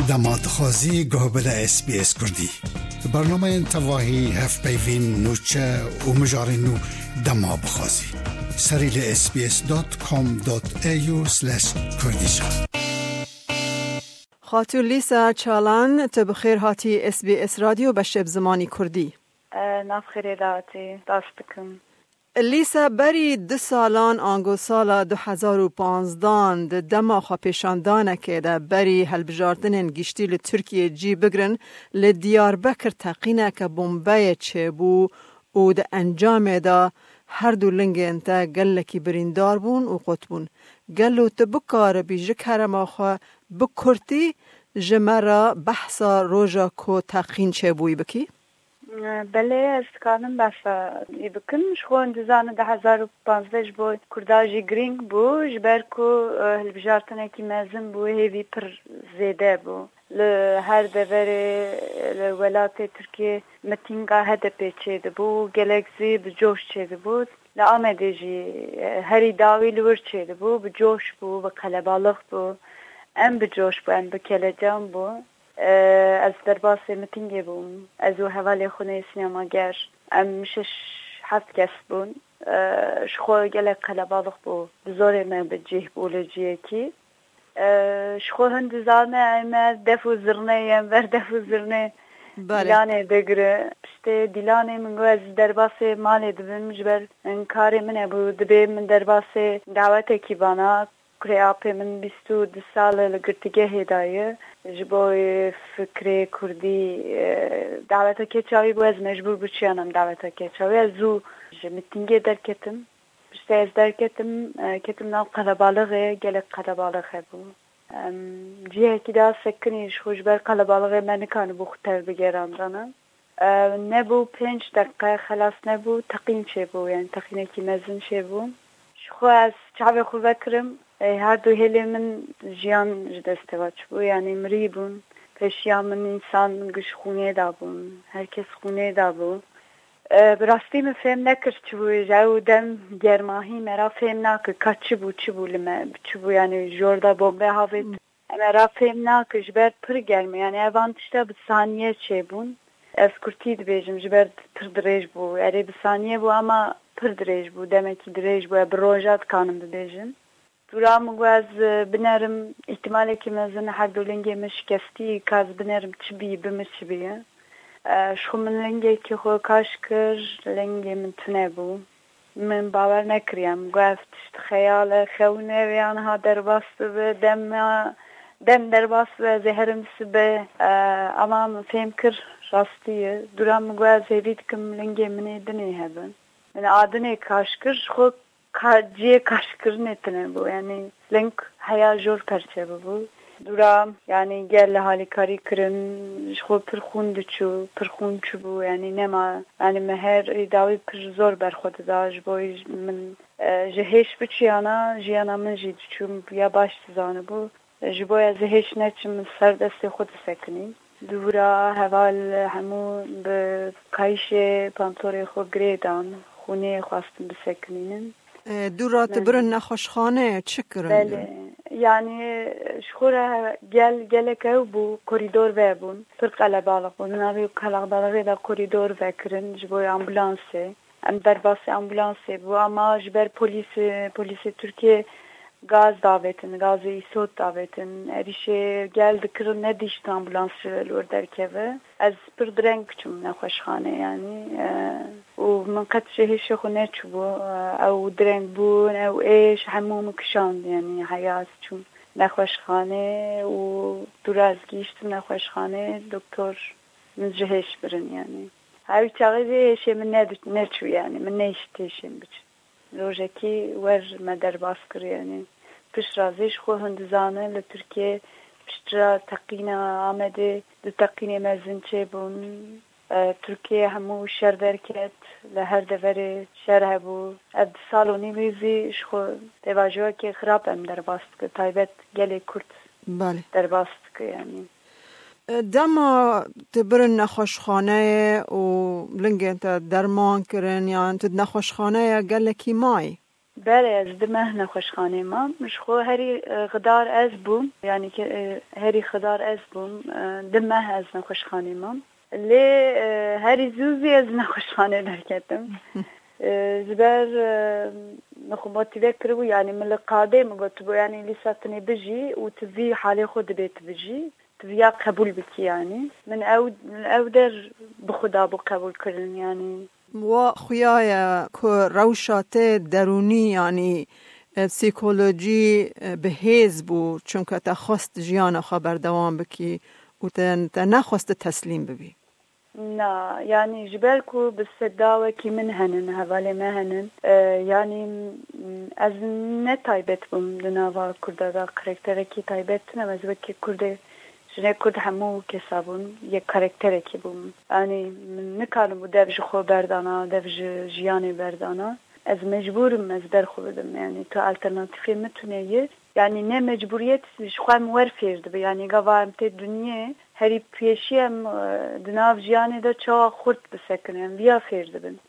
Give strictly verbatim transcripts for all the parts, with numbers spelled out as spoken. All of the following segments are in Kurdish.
Dema dixwazî guh bide S B S Kurdî. Bernameyên tevahî, hevpeyvîn, nûçe û mijarên nû dema bixwazî. Serî li S B S dot com dot A U slash Kurdish. Xatû Lîsa Çalan, tu bi xêr hatî S B S Radyo beşê bi zimanî Kurdî. E, nav xêrê de hatî, spas dikim. Lîsa, berî du salan, ango sala du hezar û panzdan, di dema xwepêşandanekê de berî hilbijartinên giştî li Tirkiyê cî bigirin, li Diyarbekir teqîneke bombeyê çêbû û di encamê de her du lingên te gelekî birîndar bûn û qut bûn. Gelo tu bikaribî ji kerema xwe bi kurtî ji me re behsa roja ku teqîn çêbûyî bikî? Belê, ez dikarim behsa wî bikim. Ji xwe hûn dizanin du hezar û panzdeh ji bo Kurda jî girîng bû, ji ber ku, e, hilbijartinekî mezin bû, hêvî pir zêde bû. Li her deverê, li welatê Tirkiyê mitînga H D P çêdibû û gelek zî bi coş çêdibû. Li Amedê jî, e, herî dawî li wir çêdibû, bi coş bû, bi qelebalix bû. Em bi coş bû, em bi kelecan bû. E, ez derbasê mitingê bûm. Ez û hevalê xwe nê sînemager. Em şeş heft kes bûn. E, ji xwe gelek qelebalix bû. Bi zorê me bi cih bû li cihekî. E, ji xwe hin dizane em def û zirnê, em ber def û zirnê Belê. Dîlanê digire. Piştê dîlanê min got, ez derbasê malê dibim, ji ber hin karê min hebû. Dibê min derbasê dawetekî bana. Kurê apê min bîst û du sal e, li girtîgehê de ye. Ji bo, e, fikrê kurdî, e, daweta keça wî bû, ez mecbûr bûçiyana em daweta keça wî. Ez zû ji mitîngê derketim. Piştî ez derketim, e, ketim nav qelebalixê, gelek qelebalix hebû. Em cihekî de sekinî, ji xwe ji ber qelebalixê me nikanibû xwe tev bigerandana. E, nebû pênc deqe, xelas nebû, teqîn çêbû, yani teqînekî mezin çêbû. Ji xwe ez çavê xwe vekirim, e, her du hêlê min jiyan ji destê ve çûbû, yani mirî bûn. Pêşiya min însan giş xûnê de bûn, her kes xûnê de bû. E, bi rastî min fêm nekir çi bû, ji ew dem germahî me ra fêm nake, ka çi bû, çi bû li me, çi bû, yani jor de bombe havêt. Em ra fêm nake, ji ber pir germ e. Yani evan tişta bi saniye çêbûn. Ez kurtî dibêjim, ji ber pir dirêj bû. Erê, bi saniye bû, ama pir dirêj bû, demekî dirêj bû. Ez bi roja dikanim bibêjim. Dûra min got ez, e, binerim, îhtimalekî mezin her du lingê min şikestî, ka ez binerim çi bî, bi min çi bî. E, ji xwe min lingekî xwe kaş kir, lingê min tune bû. Min bawer nekiriye. Min got, ev tişt xeyal e, xewin e, vê aniha derbas dibe, dem, dem derbas dibe, ez ê herim sibe. E, ama min fêm kir, rastî ye. Dûra min got, ez hêvî dikim lingê min ê dinê hebin. Min a dinê kaş kir, ji xwe ka-, cihê kaşkirinê tune bû. Yani ling heya jor perçe bibû. Dûra, yani gel li halîkarî kirin, ji xwe pir xûn diçû, pir xûn çûbû, yani nema, yani me her dawî pir zor ber xwe dida, ji bo min, e, ji hêş biçiyana, jiyana min jî diçû, ya baş dizanibû. Ji bo ez hêş neçim, min ser destê xwe disekinî. Dûra heval hemû bi kayişê pantorê xwe girê dan, xûnê xwestin bisekinînin. E, dûra tu Min birin nexweşxaneyê çi kirin? Belê. Yani ji xwe re gel, gelek ew bû, korîdor vebûn. Pir qelebalix bûn. Navê qelebalixê de korîdor vekirin ji bo ambulansê. Em derbasî ambulansê bû, ama ji ber polîsê, polîsê Tirkiyê gaz davêtin, gazê îsot davêtin. Êrîşê gel dikirin, nedîştin ambulans ji li wir derkeve. Ez pir direng çûm nexweşxanê, yanî, e, û min qet ji hêşê xwe neçûbû. E, ew direng bûn, ew êş hemû min kişand, yanî heya ez çûm nexweşxanê û dûra ez gihîştim nexweşxanê, doktor min ji hêş birin, yanî. Ew çaxê jî hêşê min ne-, neçû, yanî min nehişt hêşê min biçin. Rojekî wer me derbas kir, yanî pişt re zî ji xwe hûn dizanin li Tirkiyê piştre teqîna Amedê du teqînê mezin çêbûn. E, Tirkiye hemû şer derket, li her deverê şer hebû. Ev du sal û nîvî zî ji xwe pêvajoyekê xirab em derbas dike, taybet gelê Kurd Belê. derbas dike, yanî. Dema tu birin nexweşxaneyê û lingên te derman kirin, yan tu di nexweşxaneya gelekî mayî? Belê, ez du meh nexweşxanê mam. Ji xwe herî, e, xidar ez bûm. Yanî ke, e, herî xidar ez bûm. E, du meh ez nexweşxanê mam. Lê, e, herî zû zî ez nexweşxanê derketim. E, ji ber, e, min xwe motîve kiribû, yanî min li qadê min gotibû, yanî Lîsa, tu nê bijî û tu vî halê xwe dibê tu bijî. Tu viya qebûl bikî, yanî. Min ew, ew der bi xwe dabû qebûlkirin, yanî. Wa xuya ye ku rewşa te derûnî, yanî, e, psîkolojî, e, bi hêz bû, çunke te xwest jiyana xwe berdewam bikî û te, te nexwest tu teslîm bibî. Na, yanî ji ber ku bi seda wekî min henin, hevalê me henin, e, yanî, m, ez ne taybet bûm di nava Kurda de, karakterekî taybet tune, ez wekî Kurdê, jinê Kurd hemû kesa bûn, yek karakterekî bûm. Yanî min nikaribû dev ji xwe berdana, dev ji jiyanê berdana. Ez mecbûr im ez ber xwe bidim. Yanî tu alternatîfê min tune ye. Yanî ne mecbûriyet ji xwe em wer fêr dibe. Yanî gava em tê dinyê herî pêşî em, e, di nav jiyanê de çawa xurt bisekinin, em viya fêr dibin.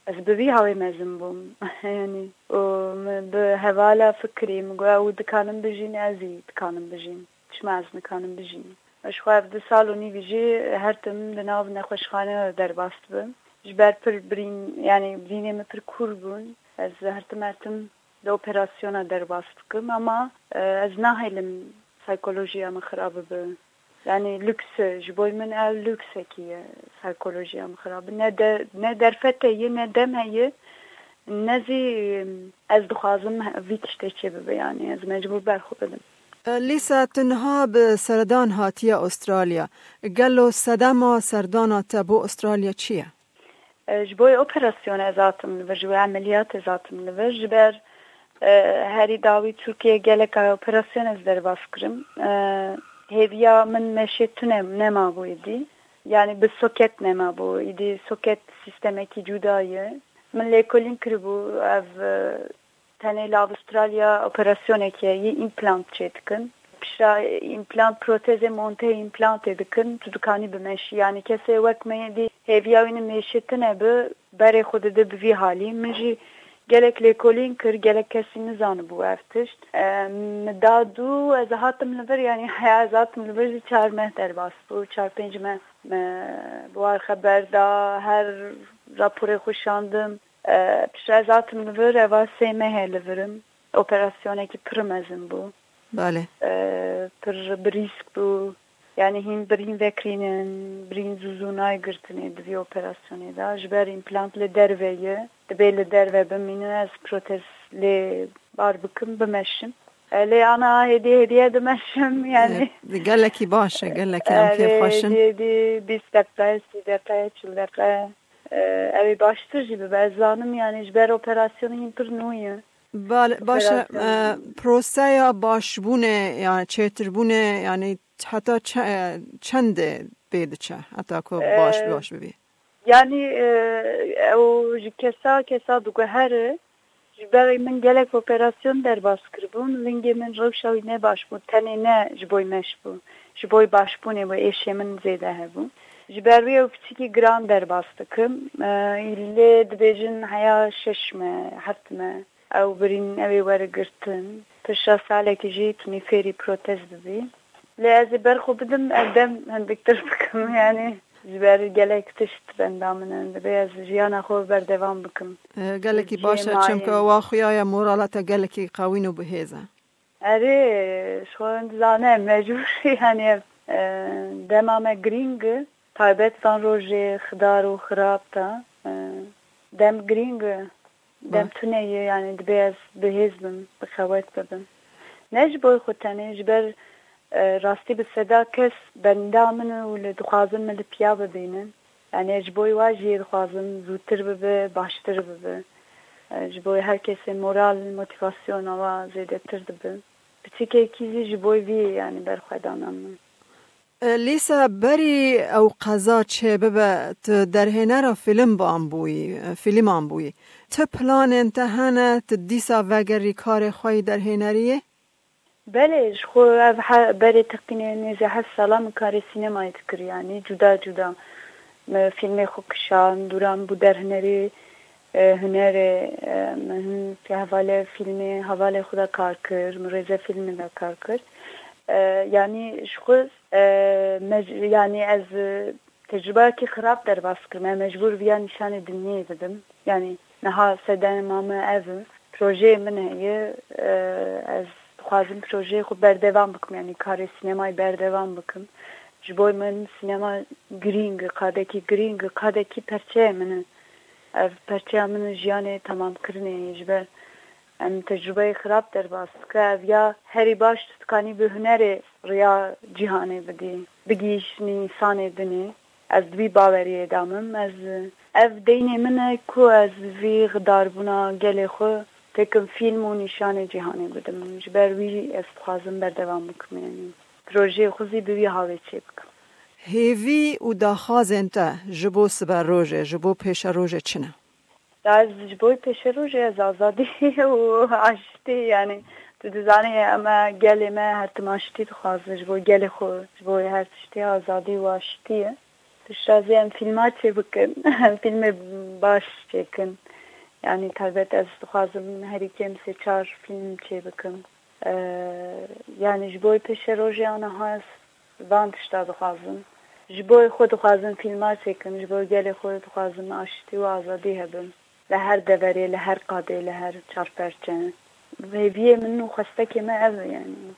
Ez bi vî hawê mezin bûm. Yanî û min bi hevala fikirî, min got, ew dikanin bijîn, ez jî dikanim bijîm. Çima ez nikanim bijîm? Ji xwe ev du sal û nîvî jî her tim di nav nexweşxaneyan de derbas dibim. Ji ber pir birîn, yanî birînê min pir kûr bûn. Ez her tim her tim di operasyona derbas dikim, ama, e, ez nahêlim psîkolojiya min xirab bibe. Yanî lûks e, ji bo min ev lûksekî ye, psîkolojiya min xirab. Ne de, ne derfet heye, ne dem heye, ne zî ez dixwazim vî tiştê çêbibe, yanî ez mecbûr ber xwe bidim. E, Lîsa, tu niha bi seredan hatiye Australya. Gelo sedema serdana te bo Australya çi ye? E, ji bo operasyon ez hatim li vir, ji bo emeliyat ez hatim li vir. Ji ber, e, herî dawî Tirkiye gelek operasyon ez derbas kirim. E, hêviya min meşê tune nemabû êdî. Yanî bi soket nemabû. Êdî soket sîstemekî cuda ye. Min lêkolîn kiribû ev, e, tenê li Avustralya operasyonekê yî împlant çêdikin. Pişta împlant, protezê monte împlantê dikin, tu dikanî bimeşî. Yanî kesê wek me yê dî hêviya wî ne mêşê tune bi, berê xwe dide bi vî halî. Min jî gelek lêkolîn kir, gelek kesî nizanibû ev tişt. E, min da dû, ez hatim li vir, yanî heya ez hatim li vir jî çar meh derbas bû, çar pênc meh me bi war xeber da, her raporê xwe şandim. E, piştre ez hatim li vir, eva sê mehê li vir im. Operasyonekî pir mezin bû. Belê. E, pir bi rîsk bû. Yanî hîn birîn vekirînin, birîn zû zû nayê girtinê di vî operasyonê de. Ji ber împlant li derve ye. Dibê li derve bimîne, ez protez lê bar bikim, bimeşim. E, lê ana hêdî hêdî dimeşim, yanî. E, gelekî baş e, gelekî em kêfxweş in. Hêdî hêdî bîst deqe, sî deqe, çil deqe. E, ew ê baştir jî bibe. Ez zanim, yanî ji ber operasyonê hîn pir nû ye. Bale, baş e, Operasyon. E, proseya başbûnê, yanî çêtirbûnê, yanî heta çe-, e, çendê pê diçe, heta ku baş, E, baş bibî? Yanî, e, ew ji kesa kesa diguhere. Ji ber min gelek operasyon derbas kiribûn, lingê min rewşa wî ne baş bû, tenê ne ji bo meş bû, ji bo başbûnê bû, êşê min zêde hebû. Ji ber wî ew piçikî giran derbas dikim. E, lê dibêjin heya şeş me, heft me, ew birîn, ew ê were girtin. Pişta salekî jî tu nî fêrî protez bibî. Lê ez ê ber xwe bidim, ev dem hindiktir bikim, yanî ji ber gelek tişt benda min in. Dibê ez jiyana xwe berdewam bikim. E, gelekî baş e, çimka wa xuya ye, morala te gelekî qewîn û bihêz e. Erê, ji xwe dizane, mecbûr, yanî, e, dema me girîng e, taybet van rojê xidar û xirab de, e, dem girîng e. Dem tune ye, yanî dibê ez bihêz bim, bi xewet bibim. Ne ji bo xwe tenê, ji ber, e, rastî bi seda kes benda min û li dixwazin min li piya bibînin. Yanî ji bo wa jî dixwazim zûtir bibe, baştir bibe. E, ji bo her kesê moral, motivasyona wa zêdetir dibe. Piçikekî zî ji bo vî, yanî berxwedana min. E, Lîsa, berî ew qeza çêbibe, tu derhênera fîlm ban bûyî, e, fîlman bûyî. Ti planên te hene, tu dîsa vegerî karê xwe yî derhêneriyê? Belê, ji xwe ev he-, berê teqînê nêzî heft sala min karê sînemayê dikir, yanî cuda cuda. Me fîlmê xwe kişand, dûran bû derhênerî, E, hunerê, e, min hin hevalê fîlmê, hevalê xwe de kar kir, min rêze fîlmê de kar kir. E, yanî ji xwe, e, mec-, yanî ez, e, tecrubeyekî xirab derbas kirim. Ez mecbûr viya nîşanê dinyê bidim. Yanî niha sedema min ev e. Projeyê min heye, e, ez dixwazim projeyê xwe berdewam bikim, yanî karê sînemayê berdewam bikim. Ji bo min sînema girîng e, qadekî girîng e, qadekî perçeyê min e. Ev perçeya min û jiyanê temamkirinê ye. Ji ber em tecrubeyê xirab derbas dike. Ev ya herî baş tu dikanî bi hunerê riya cîhanê bidî, bigihîşnî însanê dinê. Ez di vî baweriyê de me. Ez, ev deynê min e ku ez vî xidarbûna gelê xwe têkim fîlm û nîşanê cîhanê bidim. Ji ber wî ez dixwazim berdewam bikim. Yanî projeyê xwe zî bi vî hawê çêbikim. Hêvî û daxwazên te ji bo siberojê, ji bo pêşerojê çi ne? Da ez ji bo pêşerojê ez azadî û aştî, yanî tu dizanî em gelê me her tim aştî dixwaze ji bo gelê xwe, ji bo her tiştê azadî û aştî ye. Piştazî em fîlma çêbikin, em fîlmê baş çêkin. Yanî taybet ez dixwazim herî kêm sê çar fîlm çêbikim. Ee, yanî ji bo pêşerojê aniha ez van tişta dixwazim. Ji bo xwe dixwazim fîlma çêkim, ji bo gelê xwe dixwazim aştî û azadî hebin. Li her deverê, li her qadê, li her çarperçe. Hêviyê min û xwestekê me ev e yanî.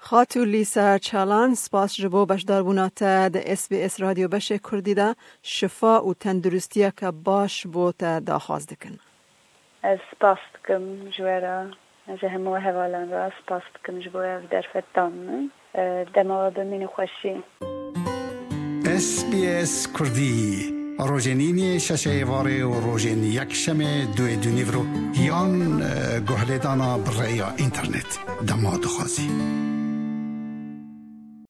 Xatû Lîsa Çalan, spas ji bo beşdarbûna te di S B S Radyo Beşê Kurdî de. Şifa û tenduristiyeke baş bo te daxwaz dikin. Ez spas dikim ji we re, ji hemû hevalan re spas dikim ji bo ev derfet dan min. E, dema we bimînin xweşî. S B S Kurdî, rojên îniyê şeşê êvarê û rojên yekşemê duê dûnîvro yan, e, guhlêdana bi rêya înternet dema dixwazî.